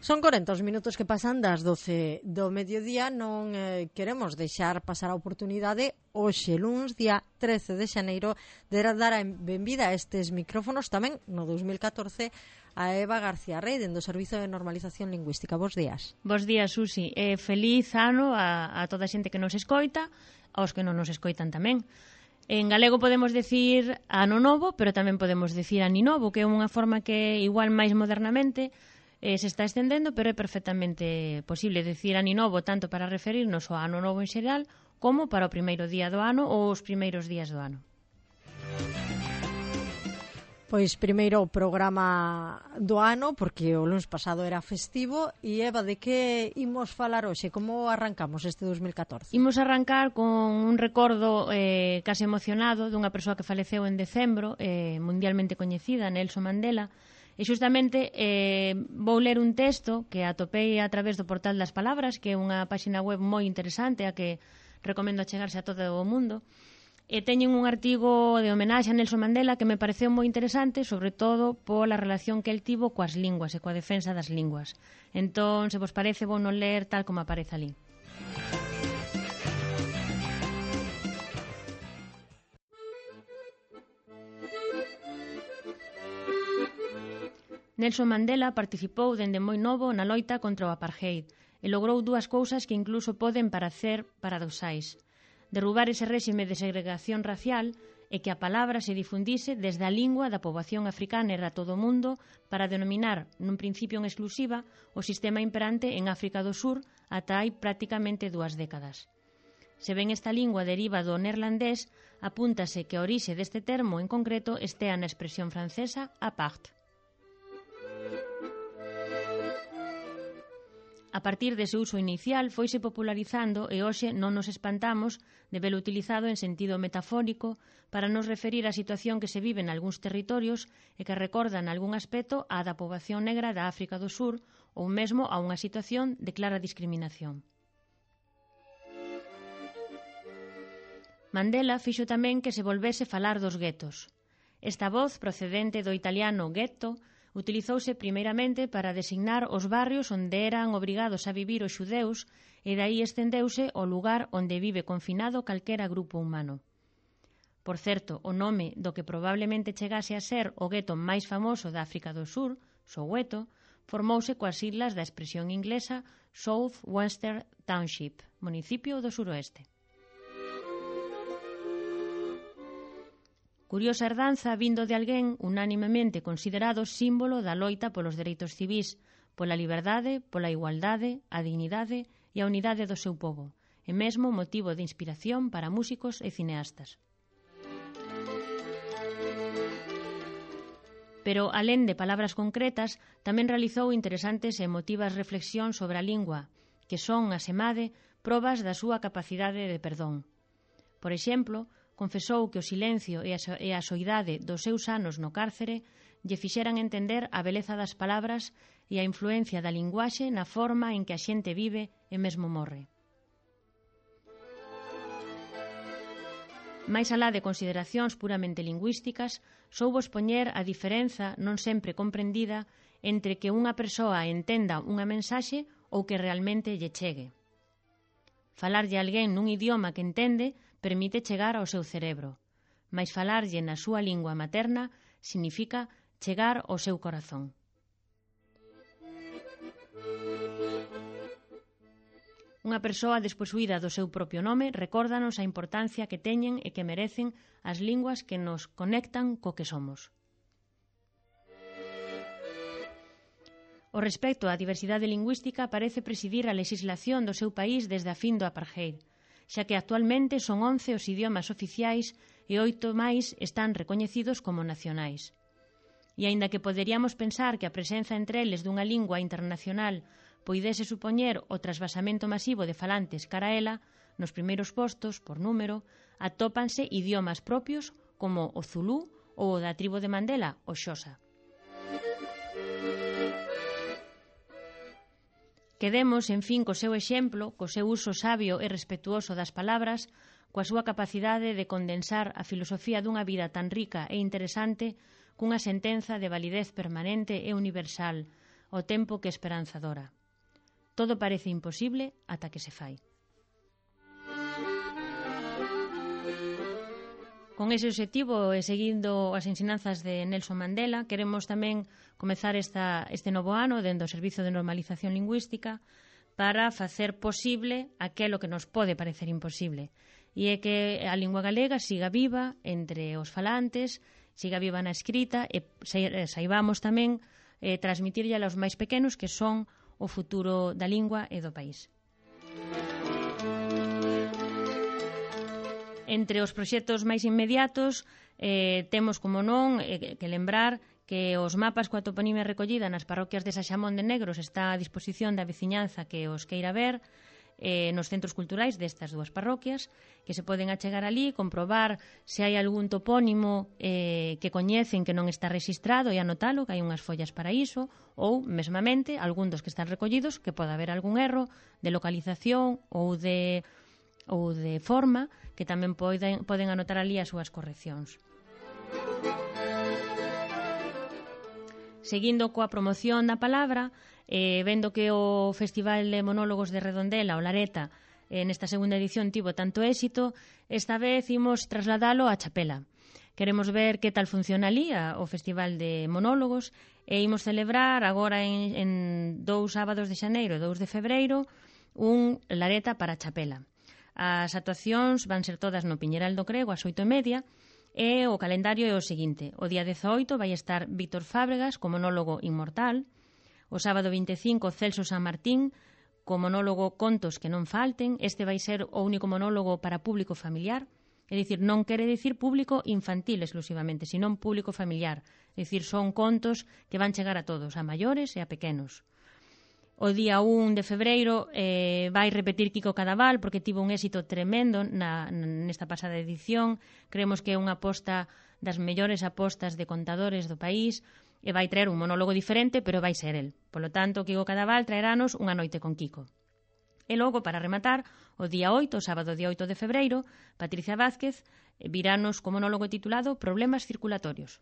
Son 40 os minutos que pasan das 12 do mediodía. Non queremos deixar pasar a oportunidade hoxe, luns, día 13 de xaneiro, de dar a benvida a estes micrófonos tamén no 2014 a Eva García Rey, dende o Servizo de Normalización Lingüística. Bos días. Bos días, Susi. Feliz ano a toda a xente que nos escoita, aos que non nos escoitan tamén. En galego podemos decir ano novo, pero tamén podemos decir aninovo, que é unha forma que igual máis modernamente se está estendendo, pero é perfectamente posible decir aninovo tanto para referirnos ao ano novo en xeral como para o primeiro día do ano ou os primeiros días do ano. Pois primeiro o programa do ano, porque o luns pasado era festivo. E Eva, de que imos falar hoxe? Como arrancamos este 2014? Imos arrancar con un recordo case emocionado dunha persoa que faleceu en decembro, mundialmente coñecida, Nelson Mandela. E xustamente vou ler un texto que atopei a través do Portal das Palabras, que é unha páxina web moi interesante a que recomendo achegarse a todo o mundo. E teñen un artigo de homenaxe a Nelson Mandela que me pareceu moi interesante, sobre todo pola relación que el tivo coas linguas e coa defensa das linguas. Entón, se vos parece, vou non ler tal como aparece ali. Nelson Mandela participou dende moi novo na loita contra o apartheid e logrou dúas cousas que incluso poden parecer paradoxais: derrubar ese réxime de segregación racial e que a palabra se difundise desde a lingua da poboación africana a todo o mundo para denominar, nun principio en exclusiva, o sistema imperante en África do Sur ata hai prácticamente 2 décadas. Se ben esta lingua deriva do neerlandés, apúntase que a orixe deste termo en concreto estea na expresión francesa apart. A partir dese uso inicial foise popularizando e hoxe non nos espantamos de velo utilizado en sentido metafórico para nos referir á situación que se vive en algúns territorios e que recordan algún aspecto á da poboación negra da África do Sur ou mesmo a unha situación de clara discriminación. Mandela fixo tamén que se volvese falar dos guetos. Esta voz, procedente do italiano ghetto, utilizouse primeiramente para designar os barrios onde eran obrigados a vivir os xudeus e dai estendeuse ao lugar onde vive confinado calquera grupo humano. Por certo, o nome do que probablemente chegase a ser o gueto máis famoso da África do Sur, Soweto, formouse coas siglas da expresión inglesa South Western Township, municipio do suroeste. Curiosa herdanza vindo de alguén unánimemente considerado símbolo da loita polos dereitos civís, pola liberdade, pola igualdade, a dignidade e a unidade do seu pobo, e mesmo motivo de inspiración para músicos e cineastas. Pero, alén de palabras concretas, tamén realizou interesantes e emotivas reflexións sobre a lingua, que son, asemade, probas da súa capacidade de perdón. Por exemplo, confesou que o silencio e a soidade dos seus anos no cárcere lle fixeran entender a beleza das palabras e a influencia da linguaxe na forma en que a xente vive e mesmo morre. Mais alá de consideracións puramente lingüísticas, soubo expoñer a diferenza non sempre comprendida entre que unha persoa entenda unha mensaxe ou que realmente lle chegue. Falarlle a alguén nun idioma que entende permite chegar ao seu cerebro, mais falarlle na súa lingua materna significa chegar ao seu corazón. Unha persoa desposuída do seu propio nome recórdanos a importancia que teñen e que merecen as linguas que nos conectan co que somos. O respecto á diversidade lingüística parece presidir a legislación do seu país desde a fin do apartheid, xa que actualmente son 11 os idiomas oficiais e 8 máis están recoñecidos como nacionais. E aínda que poderíamos pensar que a presenza entre eles dunha lingua internacional poidese supoñer o trasvasamento masivo de falantes cara a ela, nos primeiros postos, por número, atópanse idiomas propios como o zulú ou o da tribo de Mandela, o xosa. Quedemos, en fin, co seu exemplo, co seu uso sabio e respetuoso das palabras, coa súa capacidade de condensar a filosofía dunha vida tan rica e interesante cunha sentenza de validez permanente e universal, ao tempo que esperanzadora. Todo parece imposible ata que se fai. Con ese obxectivo e seguindo as ensinanzas de Nelson Mandela, queremos tamén comezar este novo ano dentro do Servizo de Normalización Lingüística para facer posible aquelo que nos pode parecer imposible. E é que a lingua galega siga viva entre os falantes, siga viva na escrita e saibamos tamén transmitirlle aos máis pequenos que son o futuro da lingua e do país. Entre os proxectos máis inmediatos temos, como non, que lembrar que os mapas coa toponimia recollida nas parroquias de Saxamón de Negros está a disposición da veciñanza que os queira ver nos centros culturais destas dúas parroquias, que se poden achegar ali, comprobar se hai algún topónimo que coñecen que non está rexistrado e anotalo, que hai unhas follas para iso, ou, mesmamente, algún dos que están recollidos, que pode haber algún erro de localización ou de forma, que tamén poden anotar ali as súas correccións. Seguindo coa promoción da palabra, vendo que o Festival de Monólogos de Redondela, o Lareta, nesta segunda edición tivo tanto éxito, esta vez imos trasladalo a Chapela. Queremos ver que tal funciona ali o Festival de Monólogos e imos celebrar agora en 2 sábados de xaneiro e 2 de febreiro un Lareta para Chapela. As actuacións van ser todas no Piñeral do Crego ás 8:30 e o calendario é o seguinte: o día 18 vai estar Víctor Fábregas co monólogo Inmortal, o sábado 25 Celso San Martín co monólogo Contos que non falten. Este vai ser o único monólogo para público familiar, é dicir, non quere dicir público infantil exclusivamente, senón público familiar, é dicir, son contos que van chegar a todos, a maiores e a pequenos. O día 1 de febreiro vai repetir Kiko Cadaval porque tivo un éxito tremendo nesta pasada edición. Creemos que é unha aposta das mellores apostas de contadores do país e vai traer un monólogo diferente, pero vai ser el. Polo tanto, Kiko Cadaval traerános Unha noite con Kiko. E logo, para rematar, o día 8, o sábado día 8 de febreiro, Patricia Vázquez virános co monólogo titulado Problemas circulatorios.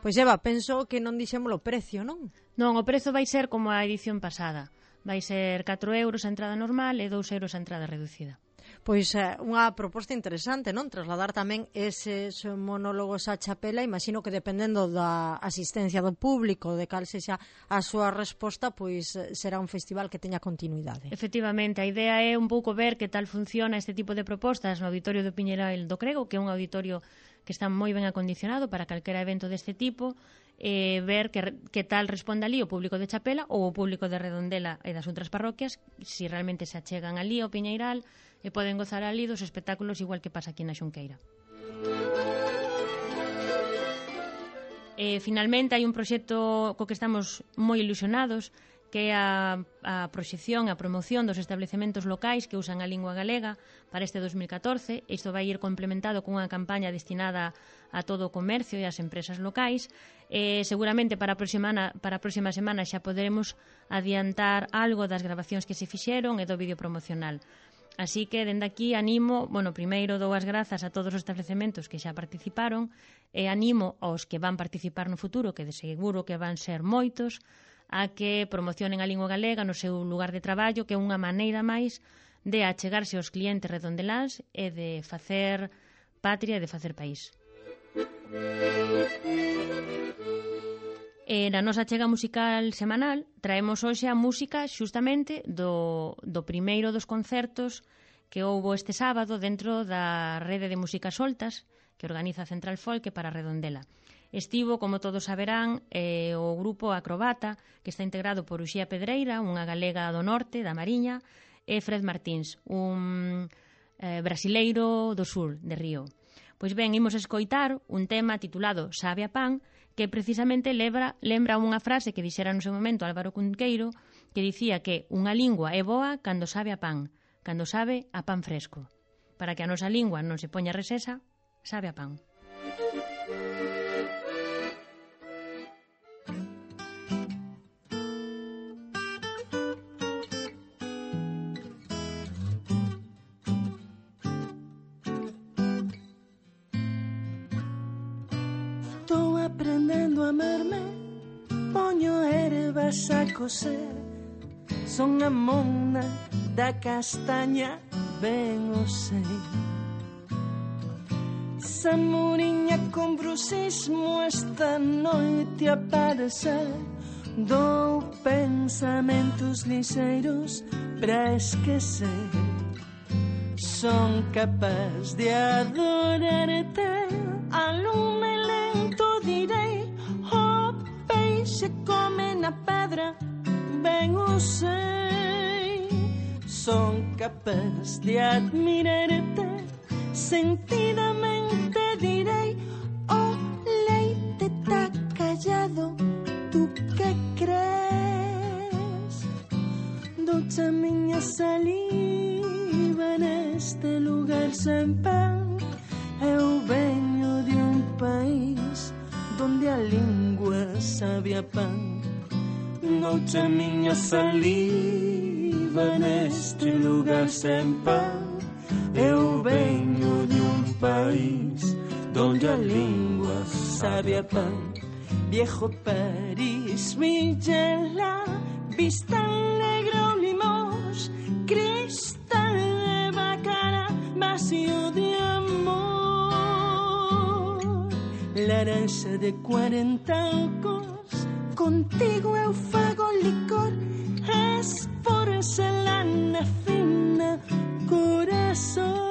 Pois Eva, penso que non dixemos o precio, non? Non, o prezo vai ser como a edición pasada. Vai ser 4 euros a entrada normal e 2 euros a entrada reducida. Pois unha proposta interesante, non? Trasladar tamén eses monólogos a Chapela. Imagino que dependendo da asistencia do público, de cal sexa a súa resposta, pois será un festival que teña continuidade. Efectivamente, a idea é un pouco ver que tal funciona este tipo de propostas no Auditorio do Piñeral do Crego, que é un auditorio que está moi ben acondicionado para calquera evento deste tipo, ver que tal responde ali o público de Chapela ou o público de Redondela e das outras parroquias, si realmente se achegan ali ao Piñeiral e poden gozar ali dos espectáculos igual que pasa aquí na Xunqueira. Finalmente, hai un proxecto co que estamos moi ilusionados, que é a proxección e a promoción dos establecementos locais que usan a lingua galega para este 2014. Isto vai ir complementado cunha campaña destinada a todo o comercio e as empresas locais. Seguramente para a próxima semana xa poderemos adiantar algo das grabacións que se fixeron e do vídeo promocional. Así que, dende aquí, animo, primeiro dou as grazas a todos os establecementos que xa participaron e animo aos que van participar no futuro, que de seguro que van ser moitos, a que promocionen a lingua galega no seu lugar de traballo, que é unha maneira máis de achegarse aos clientes redondeláns e de facer patria e de facer país. Na nosa achega musical semanal traemos hoxe a música xustamente do primeiro dos concertos que houbo este sábado dentro da rede de músicas soltas que organiza Central Folk para Redondela. Estivo, como todos saberán, o grupo Acrobata, que está integrado por Uxía Pedreira, unha galega do norte, da Mariña, e Fred Martins, un brasileiro do sur, de Río. Pois ben, imos escoitar un tema titulado Sabe a pan, que precisamente lembra unha frase que dixera no seu momento Álvaro Cunqueiro, que dicía que unha lingua é boa cando sabe a pan, cando sabe a pan fresco. Para que a nosa lingua non se poña resesa, sabe a pan. cando a merme poño ervas a coser, son a mona da castaña, ben o sei. Samuriña con bruxismo esta noite aparecer, dou pensamentos lixeiros pra esquecer. Son capaz de adorarte, a lume lento direi, o peixe come na pedra, ben o sei. Son capaz de admirarte, sentidamente direi, o leite tá callado, tú que crees? Douche a miña saliva neste lugar sen pan, eu veño de un país donde a lingua sabe a pan. Douche a miña saliva neste lugar sen pan, eu venho de un país donde a lingua sabe a pan. Viejo París, Villela, vista negro limos, cristal de bacana, vacío de amor. Laranja de 40 ocos, contigo eu fago licor, es porcelana fina, corazón.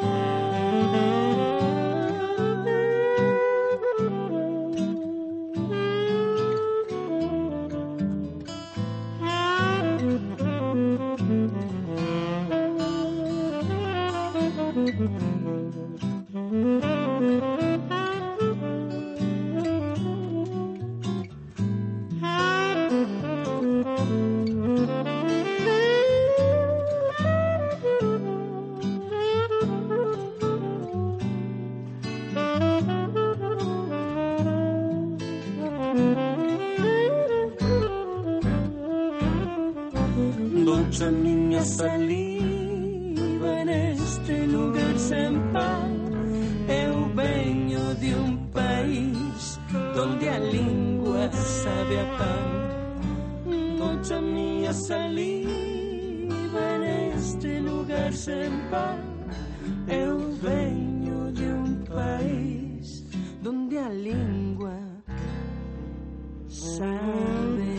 Douche a miña saliva neste lugar sen pan, eu veño de un país donde a lingua sabe a pan. Douche a miña saliva neste lugar sen pan, eu veño de un país donde a lingua sabe.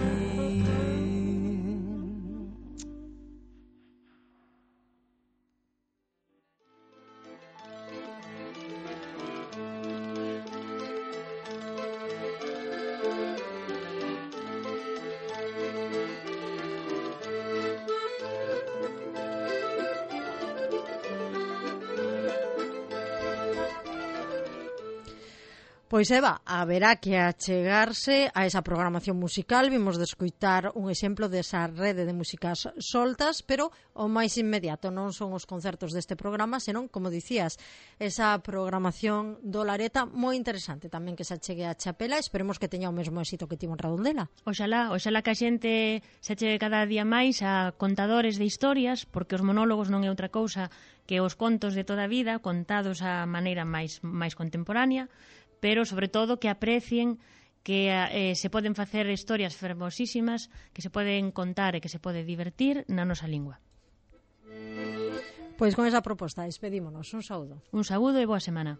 Pois Eva, haberá que achegarse a esa programación musical. Vimos de escoitar un exemplo desa rede de músicas soltas, pero o máis inmediato non son os concertos deste programa, senón, como dicías, esa programación do Lareta moi interesante tamén que se achegue a Chapela. Esperemos que teña o mesmo éxito que tivo en Redondela. Oxalá que a xente se achegue cada día máis a contadores de historias, porque os monólogos non é outra cousa que os contos de toda a vida contados a maneira máis contemporánea, pero sobre todo que aprecien que se poden facer historias fermosísimas, que se poden contar e que se pode divertir na nosa lingua. Pois con esa proposta despedímonos. Un saúdo. Un saúdo e boa semana.